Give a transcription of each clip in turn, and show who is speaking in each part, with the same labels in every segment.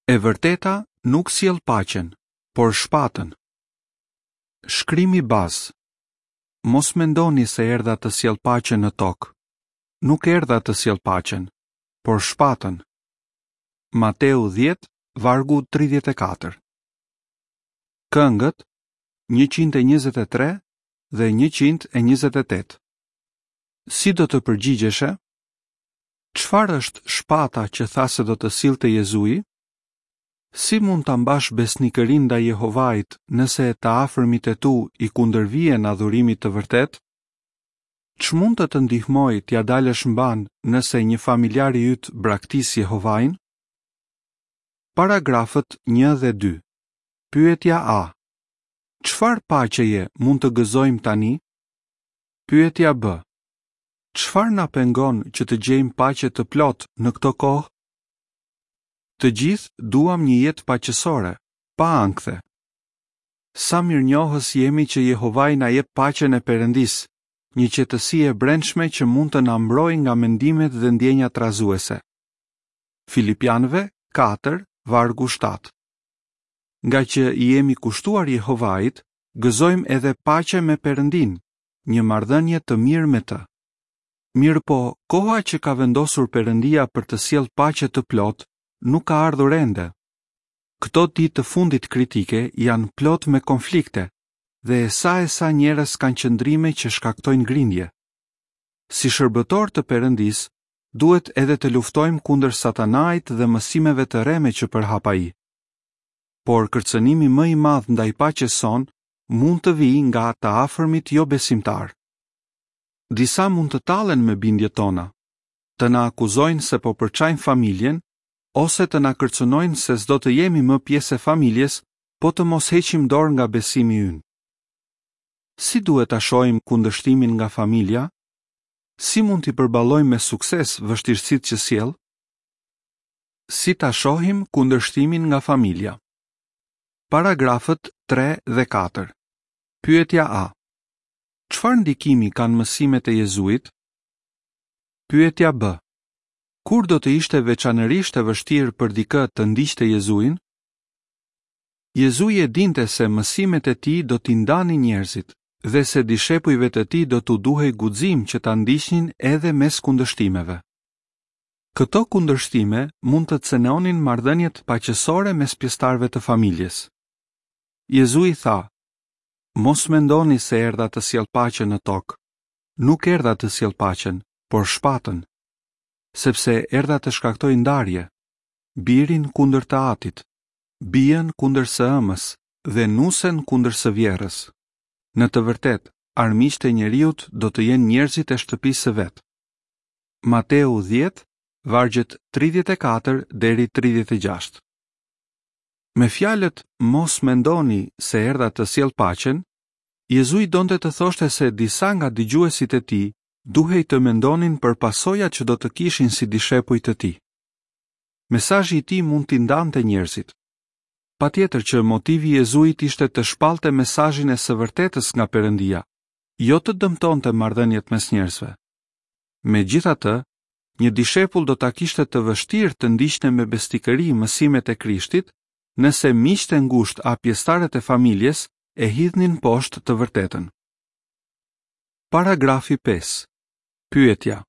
Speaker 1: E vërteta nuk sjell paqen, por shpatën. Shkrimi bazë. Mos mendoni se erdha të sjell paqen në tokë. Nuk erdha të sjell paqen, por shpatën. Mateu 10, vargu 34. Këngët 123 dhe 128. Si do të përgjigjeshe? Çfarë është shpata që tha se do të sillte Jezui? Si mund ta mbash besnikërinë ndaj Jehovait nëse të afërmit e tu i kundërvihen adhurimit të vërtetë? Ç'mund të të ndihmojë t'ia dalësh mbanë nëse një familjar i yt braktis Jehovain? Paragrafët 1 dhe 2. Pyetja A. Çfarë paqeje mund të gëzojmë tani? Pyetja B. Çfarë na pengon që të gjejmë paqe të plotë në këto kohë? Të gjithë duam një jetë paqësore, pa ankthe. Sa mirënjohës jemi që Jehovai na jep paqen e Perëndisë, një qetësi e brendshme që mund të na mbrojë nga mendimet dhe ndjenjat trazuese. Filipianëve 4, vargu 7. Ngaqë i jemi kushtuar Jehovait, gëzojmë edhe paqe me Perëndinë, një marrëdhënie të mirë me të. Mirëpo, koha që ka vendosur Perëndia për të sjellë paqe të plotë nuk ka ardhur ende. Këto ditë të fundit kritike janë plot me konflikte dhe sa e sa njerëz kanë qëndrime që shkaktojnë grindje. Si shërbëtorë të Perëndisë, duhet edhe të luftojmë kundër Satanait dhe mësimeve të rreme që përhap ai. Por kërcënimi më i madh ndaj paqes sonë mund të vijë nga të afërmit jobesimtarë. Disa mund të tallen me bindjet tona, të na akuzojnë se po përçajmë familjen ose të na kërcënojnë se s'do të jemi më pjesë e familjes po të mos heqim dorë nga besimi ynë. Si duhet ta shohim kundërshtimin nga familja? Si mund t'i përballojmë me sukses vështirësitë që sjell? Si ta shohim kundërshtimin nga familja? Paragrafët 3 dhe 4. Pyetja A. Çfarë ndikimi kanë mësimet e Jezuit? Pyetja B. Kur do të ishte veçanërisht e vështirë për dikë të ndiqte Jezuin? Jezui e dinte se mësimet e tij do t'i ndanin njerëzit dhe se dishepujve të tij do t'u duhej guxim që ta ndiqnin edhe mes kundërshtimeve. Këto kundërshtime mund të cenonin marrëdhëniet paqësore mes pjesëtarëve të familjes. Jezui tha: Mos mendoni se erdha të sjell paqen në tokë. Nuk erdha të sjell paqen, por shpatën. Sepse erdha të shkaktoj ndarje, birin kundër të atit, bijën kundër së ëmës dhe nusen kundër së vjehrrës. Në të vërtetë, armiqtë e njeriut do të jenë njerëzit e shtëpisë së vet. Mateu 10, vargjet 34 deri 36. Me fjalët mos mendoni se erdha të sjell paqen, Jezui donte të thoshte se disa nga dëgjuesit e tij duhej të mendonin për pasojat që do të kishin si dishepuj të tij. Mesazhi i tij mund t'i ndante njerëzit. Patjetër që motivi i Jezuit ishte të shpallte mesazhin e së vërtetës nga Perëndia, jo të dëmtonte marrëdhëniet mes njerëzve. Megjithatë, një dishepull do ta kishte të vështirë të ndiqte me besnikëri mësimet e Krishtit, nëse miqtë e ngushtë a pjesëtarët e familjes e hidhnin poshtë të vërtetën. Paragrafi 5. Pyetja: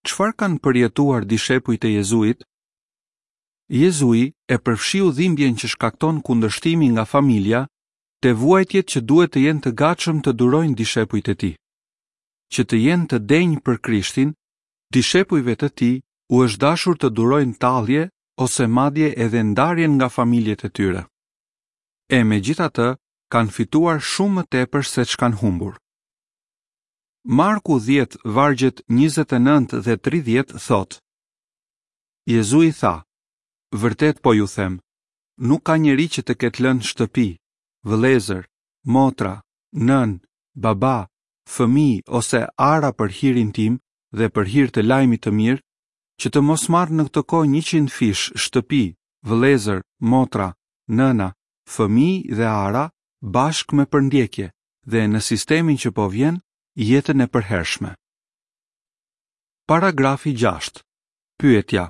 Speaker 1: Çfarë kanë përjetuar dishepujt e Jezuit? Jezui e përfshiu dhimbjen që shkakton kundërshtimi nga familja te vuajtjet që duhet të jenë të gatshëm të durojnë dishepujt e tij. Që të jenë të denjë për Krishtin, dishepujve të tij u është dashur të durojnë tallje ose madje edhe ndarjen nga familjet e tyre. E megjithatë, kanë fituar shumë më tepër se ç'kanë humbur. Marku 10 vargjet 29 dhe 30 thotë: Jezui tha: Vërtet po ju them, nuk ka njeri që të ketë lënë shtëpi, vëllezër, motra, nënë, baba, fëmijë ose ara për hirin tim dhe për hir të lajmit të mirë, që të mos marrë në këtë kohë njëqindfish shtëpi, vëllezër, motra, nëna, fëmijë dhe ara bashkë me përndjekje dhe në sistemin që po vjen, jetën e përhershme. Paragrafi 6. Pyetja.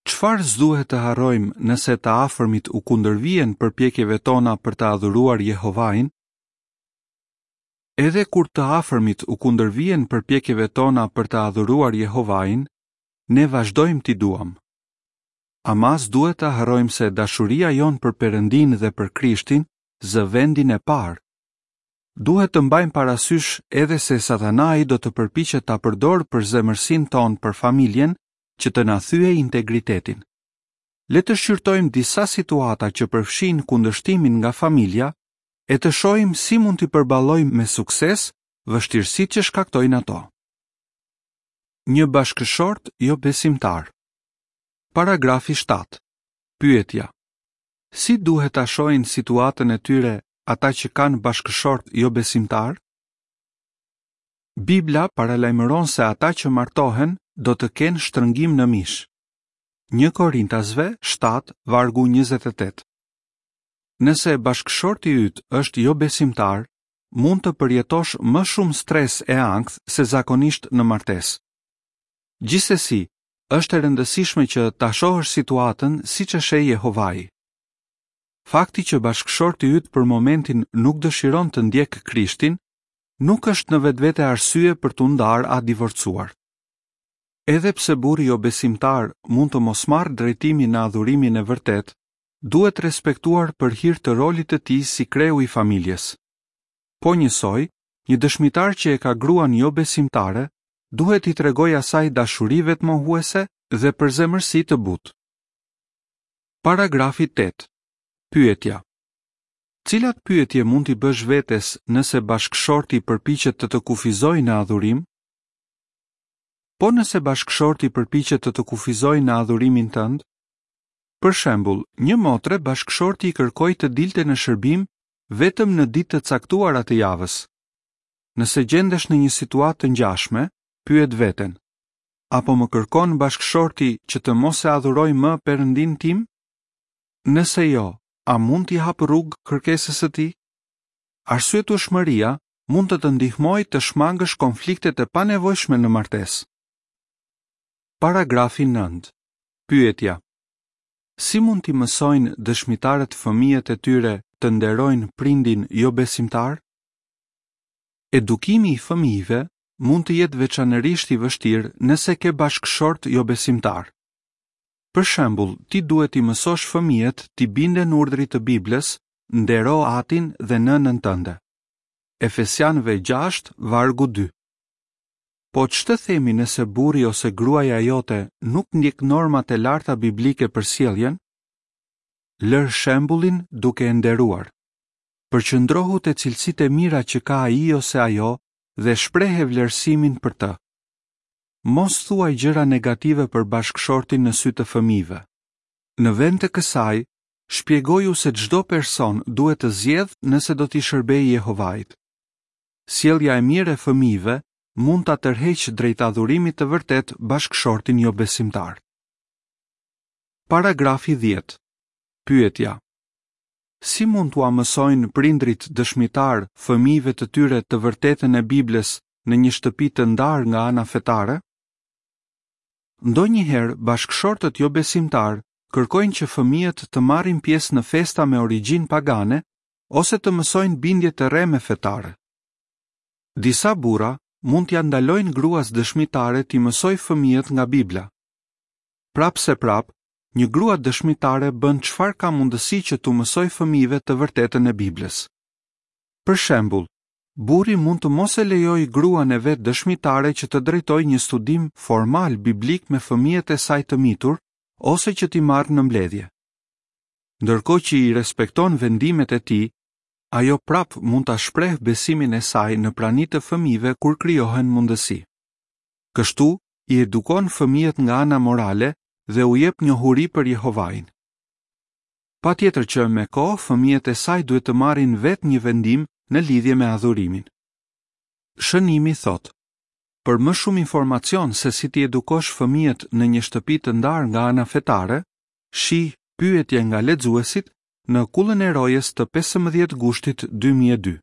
Speaker 1: Çfarë s'duhet të harrojmë nëse të afërmit u kundërvihen përpjekjeve tona për të adhuruar Jehovain? Edhe kur të afërmit u kundërvihen përpjekjeve tona për të adhuruar Jehovain, ne vazhdojmë t'i duam. Ama s'duhet të harrojmë se dashuria jonë për Perëndinë dhe për Krishtin zë vendin e parë. Duhet të mbajmë parasysh edhe se Satanai do të përpiqet ta përdorë përzemërsinë tonë për familjen që të na thyejë integritetin. Le të shqyrtojmë disa situata që përfshijnë kundërshtimin nga familja e të shohim si mund t'i përballojmë me sukses vështirësitë që shkaktojnë ato. Një bashkëshort jobesimtar. Paragrafi 7. Pyetja: Si duhet ta shohin situatën e tyre ata që kanë bashkëshortë jobesimtarë? Bibla paralajmëron se ata që martohen do të kenë shtrëngim në mish. 1 Korintasve 7, vargu 28. Nëse bashkëshorti yt është jobesimtar, mund të përjetosh më shumë stres e ankth se zakonisht në martesë. Gjithsesi, është e rëndësishme që ta shohësh situatën siç e sheh Jehovai. Fakti që bashkëshorti yt për momentin nuk dëshiron të ndjekë Krishtin, nuk është në vetvete arsye për t'u ndarë a divorcuar. Edhe pse burri jobesimtar mund të mos marrë drejtimin në adhurimin e vërtetë, duhet respektuar për hir të rolit të tij si kreu i familjes. Po njësoj, një dëshmitar që e ka gruan jobesimtare, duhet t'i tregojë asaj dashuri vetëmohuese dhe përzemërsi të butë. Paragrafi 8. Pyetja: Cilat pyetje mund t'i bësh vetes nëse bashkëshorti përpiqet të të kufizojë në adhurim? Po nëse bashkëshorti përpiqet të të kufizojë në adhurimin tënd? Për shembull, një motre bashkëshorti i kërkoi të dilte në shërbim vetëm në ditë të caktuara të javës. Nëse gjendesh në një situatë të ngjashme, pyet veten: A po më kërkon bashkëshorti që të mos e adhuroj më Perëndinë tim? Nëse jo, a mund t'i hap rrugë kërkesës së tij? Arsyetueshmëria mund të të ndihmojë të shmangësh konfliktet e panevojshme në martesë. Paragrafi 9. Pyetja: Si mund t'i mësojnë dëshmitarët fëmijët e tyre të nderojnë prindin jobesimtar? Edukimi i fëmijëve mund të jetë veçanërisht i vështirë nëse ke bashkëshort jobesimtar. Për shembull, ti duhet t'i mësosh fëmijët t'i binden urdhrit të Biblës, ndero atin dhe nënën tënde. Efesianëve 6, vargu 2. Po ç'të themi nëse burri ose gruaja jote nuk ndjek normat e larta biblike për sjelljen? Lër shembullin duke e nderuar. Përqendrohu te cilësitë e mira që ka ai ose ajo dhe shprehe vlerësimin për të. Mos thuaj gjëra negative për bashkëshortin në sy të fëmijëve. Në vend të kësaj, shpjegoju se çdo person duhet të zgjedhë nëse do t'i shërbejë Jehovait. Sjellja e mirë e fëmijëve mund ta tërheqë drejt adhurimit të vërtetë bashkëshortin jobesimtar. Paragrafi 10. Pyetja: Si mund t'ua mësojnë prindërit dëshmitarë fëmijëve të tyre të vërtetën e Biblës në një shtëpi të ndarë nga ana fetare? Ndonjëherë bashkëshortët jobesimtarë kërkojnë që fëmijët të marrin pjesë në festa me origjinë pagane ose të mësojnë bindje të rreme fetare. Disa burra mund t'ia ndalojnë gruas dëshmitare t'i mësojë fëmijët nga Bibla. Prapëseprapë, një grua dëshmitare bën çfarë ka mundësi që t'u mësojë fëmijëve të vërtetën e Biblës. Për shembull, burri mund të mos e lejojë gruan e vet dëshmitare që të drejtojë një studim formal biblik me fëmijët e saj të mitur ose që t'i marrë në mbledhje. Ndërkohë që i respekton vendimet e tij, ajo prapë mund ta shprehë besimin e saj në prani të fëmijëve kur krijohen mundësi. Kështu, i edukon fëmijët nga ana morale dhe u jep njohuri për Jehovain. Patjetër që me kohë fëmijët e saj duhet të marrin vetë një vendim në lidhje me adhurimin. Shënimi thotë: Për më shumë informacion se si t'i edukosh fëmijët në një shtëpi të ndarë nga ana fetare, shih Pyetje nga lexuesit në Kullën e Rojës të 15 gushtit 2002.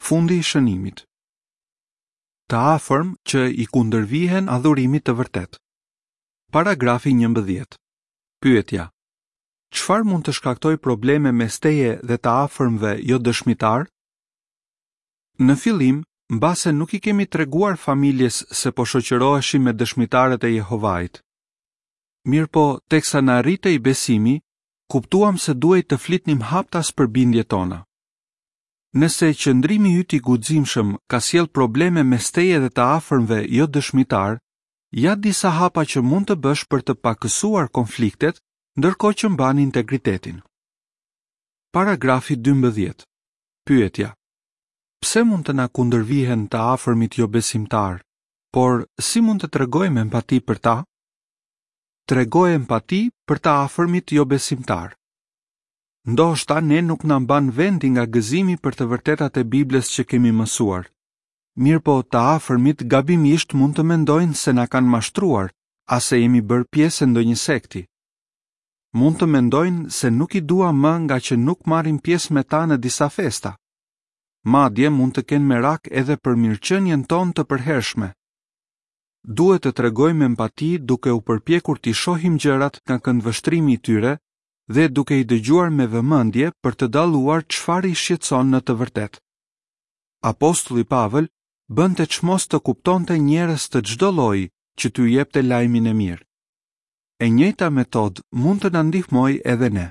Speaker 1: Fundi i shënimit. Të afërm që i kundërvihen adhurimit të vërtetë. Paragrafi 11. Pyetja: Çfarë mund të shkaktojë probleme mes teje dhe të afërmve jodëshmitarë? Në fillim, mbase nuk i kemi treguar familjes se po shoqëroheshim me dëshmitarët e Jehovait. Mirëpo, teksa na rritej besimi, kuptuam se duhej të flitnim haptas për bindjet tona. Nëse qëndrimi yt i guximshëm ka sjellë probleme mes teje dhe të afërmve jodëshmitarë, ja disa hapa që mund të bësh për të pakësuar konfliktet ndërkohë që mban integritetin. Paragrafi 12. Pyetja: Pse mund të na kundërvihen të afërmit jobesimtarë, por si mund të tregojmë empati për ta? Trego empati për të afërmit jobesimtarë. Ndoshta ne nuk na mban vendi nga gëzimi për të vërtetat e Biblës që kemi mësuar. Mirëpo të afërmit gabimisht mund të mendojnë se na kanë mashtruar, a se jemi bërë pjesë e ndonjë sekti. Mund të mendojnë se nuk i duam më ngaqë nuk marrim pjesë me ta në disa festa. Madje mund të kenë merak edhe për mirëqenien tonë të përhershme. Duhet të tregojmë empati duke u përpjekur t'i shohim gjërat nga këndvështrimi i tyre dhe duke i dëgjuar me vëmendje për të dalluar çfarë i shqetëson në të vërtetë. Apostulli Pavël bënte çmos të kuptonte njerëz të çdo lloji që t'u jepte lajmin e mirë. E njëjta metodë mund të na ndihmojë edhe ne.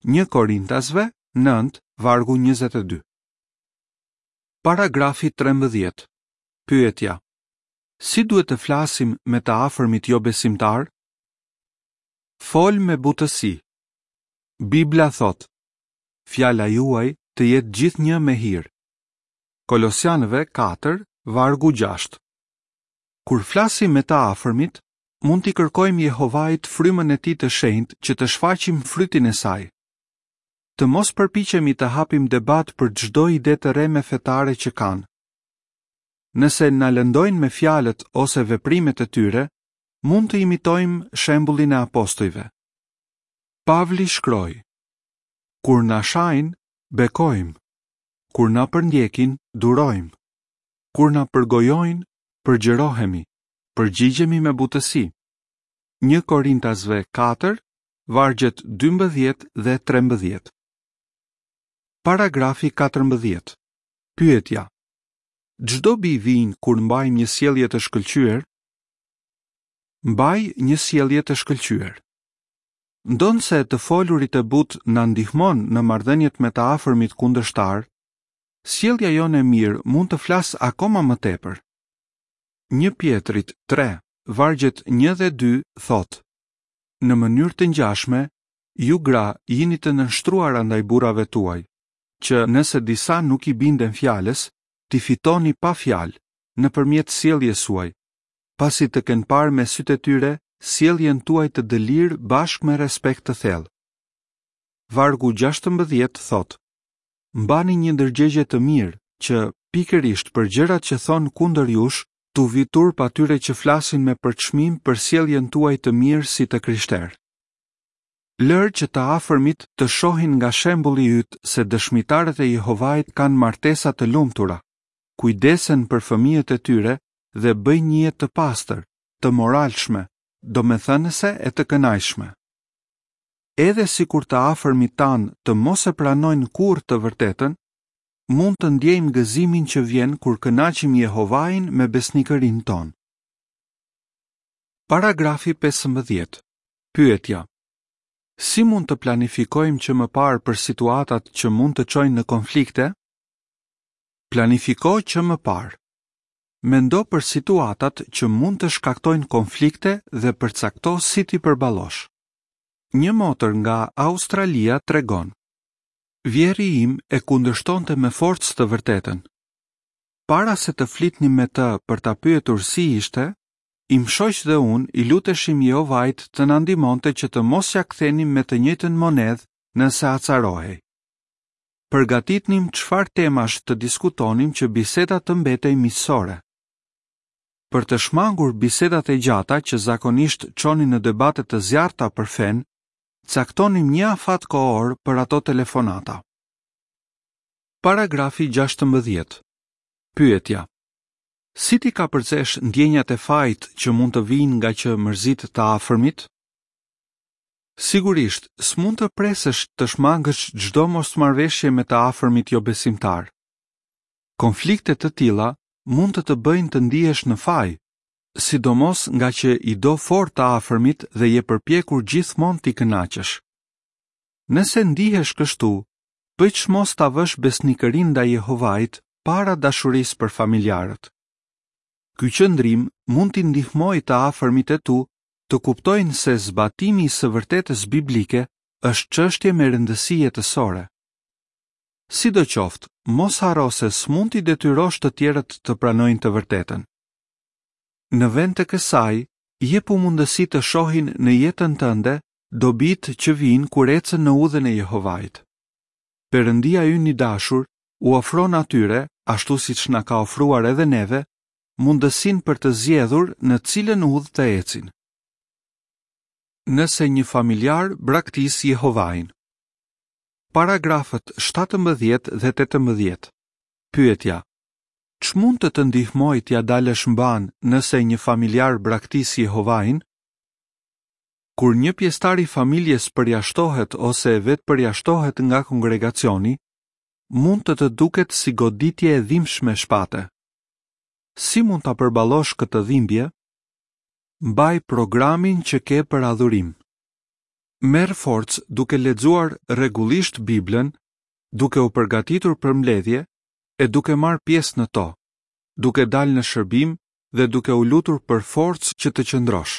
Speaker 1: 1 Korintasve 9, vargu 22. Paragrafi 13. Pyetja: Si duhet të flasim me të afërmit jobesimtarë? Fol me butësi. Bibla thotë: Fjala juaj të jetë gjithnjë me hir. Kolosianëve 4, vargu 6. Kur flasim me të afërmit, mund t'i kërkojmë Jehovait frymën e tij të shenjtë që të shfaqim frytin e saj. Të mos përpiqemi të hapim debat për çdo ide të rreme fetare që kanë. Nëse na lëndojnë me fjalët ose veprimet e tyre, mund të imitojmë shembullin e apostujve. Pavli shkroi: Kur na shajnë, bekojmë. Kur na përndjekin, durojmë. Kur na përgojojnë, përgjërohemi, përgjigjemi me butësi. 1 Korintasve 4, vargjet 12 dhe 13. Paragrafi 14. Pyetja: Ç'dobi vijnë kur mbajmë një sjellje të shkëlqyer? Mbaj një sjellje të shkëlqyer. Ndonëse të folurit e butë na ndihmon në marrëdhëniet me të afërmit kundërshtarë, sjellja jonë e mirë mund të flasë akoma më tepër. 1 Pjetrit 3, vargjet 1 dhe 2 thotë: Në mënyrë të ngjashme, ju gra jini të nënshtruara ndaj burrave tuaj, që nëse disa nuk i binden fjalës, t'i fitoni pa fjalë, nëpërmjet sjelljes suaj, pasi të kenë parë me sytë e tyre sjelljen tuaj të dëlirë bashkë me respekt të thellë. Vargu 16 thotë: Mbani një ndërgjegje të mirë që, pikërisht për gjërat që thonë kundër jush, t'u vijë turp atyre që flasin me përçmim për sjelljen tuaj të mirë si të krishterë. Lër që të afërmit të shohin nga shembulli yt se dëshmitarët e Jehovait kanë martesa të lumtura, kujdesen për fëmijët e tyre dhe bëjnë një jetë të pastër, të moralshme, domethënëse e të kënaqshme. Edhe sikur të afërmit tanë të mos e pranojnë kurrë të vërtetën, mund të ndjejmë gëzimin që vjen kur kënaqim Jehovain me besnikërinë tonë. Paragrafi 15. Pyetja: Si mund të planifikojmë që më parë për situatat që mund të çojnë në konflikte? Planifiko që më parë. Mendo për situatat që mund të shkaktojnë konflikte dhe përcakto si t'i përballosh. Një motër nga Australia tregon: Vjehrri im e kundërshtonte me forcë të vërtetën. Para se të flitnim me të për ta pyetur si ishte, im shoq dhe unë i luteshim Jehovait të na ndihmonte që të mos ia kthenim me të njëjtën monedhë nëse acarohej. Përgatitnim çfarë temash të diskutonim që biseda të mbetej miqësore. Për të shmangur bisedat e gjata që zakonisht çonin në debate të zjarrta për fenë, caktonim një afat kohor për ato telefonata. Paragrafi 16. Pyetja: Si t'i kapërcesh ndjenjat e fajit që mund të vijnë ngaqë mërzit të afërmit? Sigurisht, s'mund të presësh të shmangësh çdo mosmarrëveshje me të afërmit jobesimtarë. Konflikte të tilla mund të të bëjnë të ndihesh në faj, sidomos ngaqë i do fort të afërmit dhe je përpjekur gjithmonë t'i kënaqësh. Nëse ndihesh kështu, bëj çmos ta vësh besnikërinë ndaj Jehovait para dashurisë për familjarët. Ky qëndrim mund t'i ndihmojë të afërmit e tu të kuptojnë se zbatimi i së vërtetës biblike është çështje me rëndësi jetësore. Sidoqoftë, mos harro se s'mund t'i detyrosh të tjerët të pranojnë të vërtetën. Në vend të kësaj, jepu mundësi të shohin në jetën tënde dobitë që vijnë kur ecën në udhën e Jehovait. Perëndia ynë i dashur u ofron atyre, ashtu siç na ka ofruar edhe neve, mundësinë për të zgjedhur në cilën udhë të ecin. Nëse një familjar braktis Jehovain. Paragrafët 17 dhe 18. Pyetja: Ç'mund të të ndihmojë t'ia dalësh mbanë nëse një familjar braktis Jehovain? Kur një pjesëtar i familjes përjashtohet ose vetëpërjashtohet nga kongregacioni, mund të të duket si goditje e dhimbshme shpate. Si mund ta përballosh këtë dhimbje? Mbaj programin që ke për adhurim. Merr forcë duke lexuar rregullisht Biblën, duke u përgatitur për mbledhje e duke marrë pjesë në to, duke dalë në shërbim dhe duke u lutur për forcë që të qëndrosh.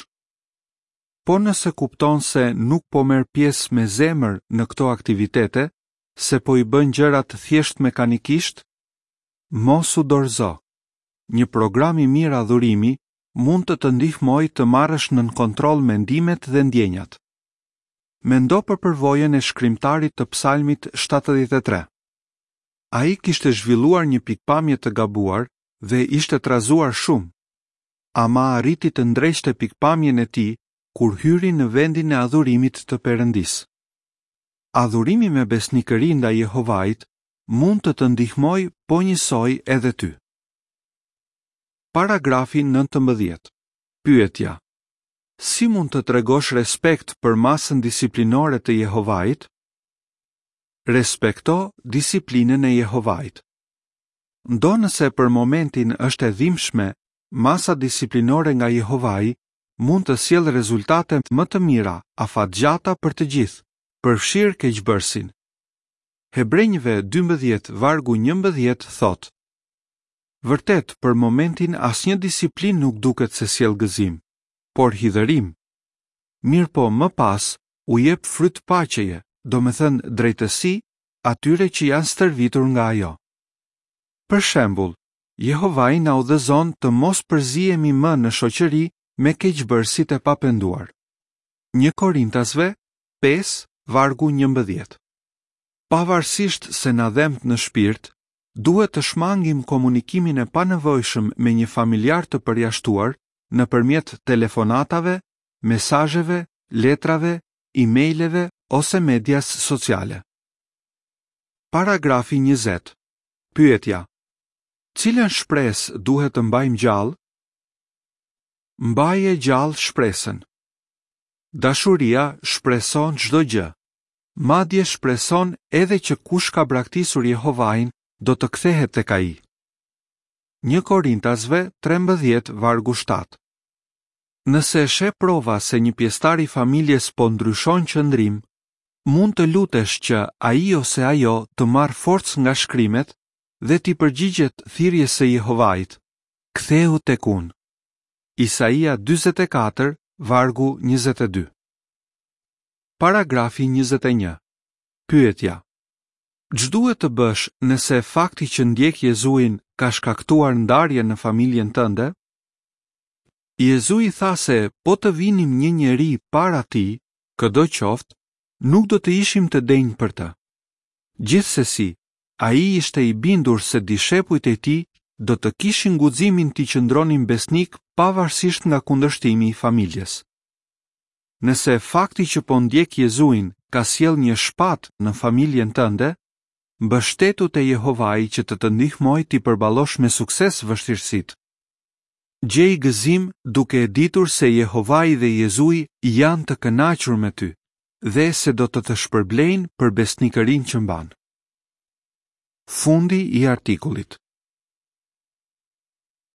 Speaker 1: Po nëse kupton se nuk po merr pjesë me zemër në këto aktivitete, se po i bën gjërat thjesht mekanikisht, mos u dorëzo. Një program i mirë adhurimi mund të të ndihmojë të marrësh nën kontroll mendimet dhe ndjenjat. Mendo për përvojën e shkrimtarit të Psalmit 73. Ai kishte zhvilluar një pikëpamje të gabuar dhe ishte trazuar shumë. Ama arriti të ndreqte pikëpamjen e tij kur hyri në vendin e adhurimit të Perëndisë. Adhurimi me besnikëri ndaj Jehovait mund të të ndihmojë po njësoj edhe ty. Paragrafi 19. Pyetja: Si mund të tregosh respekt për masën disiplinore të Jehovait? Respekto disiplinën e Jehovait. Ndonëse për momentin është e dhimbshme, masa disiplinore nga Jehovai mund të sjellë rezultate më të mira afatgjata për të gjithë, përfshirë keqbërësin. Hebrenjve 12 vargu 11 thotë: Vërtet, për momentin asnjë disiplinë nuk duket se sjell gëzim, por hidhërim. Mirëpo, më pas, u jep fryt paqeje, domethënë drejtësi, atyre që janë stërvitur nga ajo. Për shembull, Jehovai na udhëzon të mos përzihemi më në shoqëri me keqbërësit e papenduar. 1 Korintasve 5, vargu 11. Pavarësisht se na dhemb në shpirt, duhet të shmangim komunikimin e panevojshëm me një familjar të përjashtuar nëpërmjet telefonatave, mesazheve, letrave, emaileve ose medias sociale. Paragrafi 20. Pyetja: Cilën shpresë duhet të mbajmë gjallë? Mbaje gjallë shpresën. Dashuria shpreson çdo gjë. Madje shpreson edhe që kush ka braktisur Jehovain do të kthehet tek ai. 1 Korintasve 13 vargu 7. Nëse sheh prova se një pjesëtar i familjes po ndryshon qëndrim, mund të lutesh që ai ose ajo të marrë forcë nga shkrimet dhe t'i përgjigjet thirrjes së Jehovait, Kthehu tek unë. Isaia 44, vargu 22. Paragrafi 21. Pyetja: Ç'duhet të bësh nëse fakti që ndjek Jezuin ka shkaktuar ndarje në familjen tënde? Jezui tha se po të vinim një njeri para tij, këdo qoftë, nuk do të ishim të denjë për të. Gjithsesi, ai ishte i bindur se dishepujt e tij do të kishin guximin t'i qëndronin besnikë pavarësisht nga kundërshtimi i familjes. Nëse fakti që po ndjek Jezuin ka sjellë një shpatë në familjen tënde, mbështetu te Jehovai që të të ndihmojë t'i përballosh me sukses vështirësitë. Gjej gëzim duke e ditur se Jehovai dhe Jezui janë të kënaqur me ty. dhe se do të të shpërblejnë për besnikërinë që mban. Fundi i artikullit.